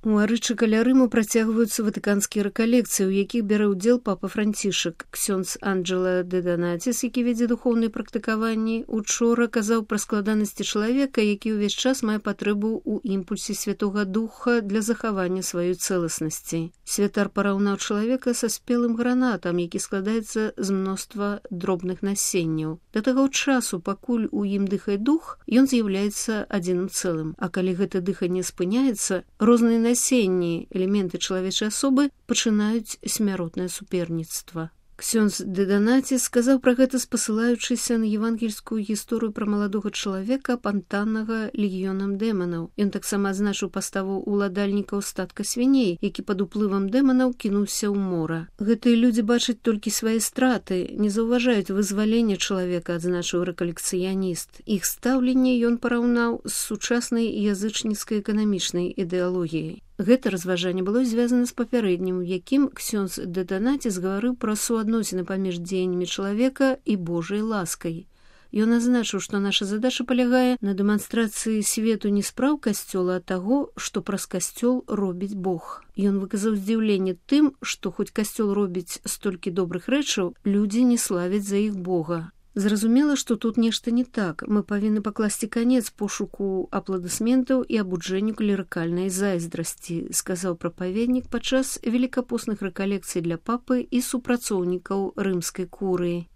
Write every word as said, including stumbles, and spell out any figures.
У Арычы каля Рыму працягваюцца ватыканскія рэкалекцыі, у якіх бярэ ўдзел папа Францішак. Ксёндз Анджела де Донатис, які вядзе духоўныя практыкаванні, учора казаў пра складанасці чалавека, які ўвесь час мае патрэбу ў імпульсе Святога Духа для захавання сваёй цэласнасці. Святар параўнаў чалавека са спелым гранатам, які складаецца з мноства дробных насенняў. Да таго часу, пакуль у ім дыхае дух, ён з'яўляецца адзіным цэлым. А калі гэта дыханне спыняецца, розныя насенні, элементы чалавечай асобы пачынаюць смяротнае суперніцтва. Ксёндз де Донатис сказаў пра гэта, спасылаючыся на евангельскую гісторыю пра маладога чалавека, апантанага легіёнам дэманаў. Ён таксама адзначыў паставу ўладальнікаў статка свіней, які пад уплывам дэманаў кінуўся ў мора. Гэтыя людзі бачаць толькі свае страты, не заўважаюць вызвалення чалавека, адзначыў рэкалекцыяніст. Іх стаўленне ён параўнаў з сучаснай язычніцкай эканамічнай ідэалогіяй. Гэта разважанне было звязана з папярэднім, у якім ксёндз де Донатис гаварыў пра суадносіны паміж дзеяннямі чалавека і Божай ласкай. Ён азначыў, што наша задача палягае на дэманстрацыі свету не спраў касцёла, а таго, што праз касцёл робіць Бог. Ён выказаў здзіўленне тым, што хоць касцёл робіць столькі добрых рэчаў, людзі не славяць за іх Бога. Зразумела, што тут нешта не так. Мы павінны пакласці канец пошуку апладысментаў і абуджэнню клерыкальнай зайздрасці, сказаў прапаведнік падчас велікапостных рэкалекцый для папы і супрацоўнікаў рымскай курыі.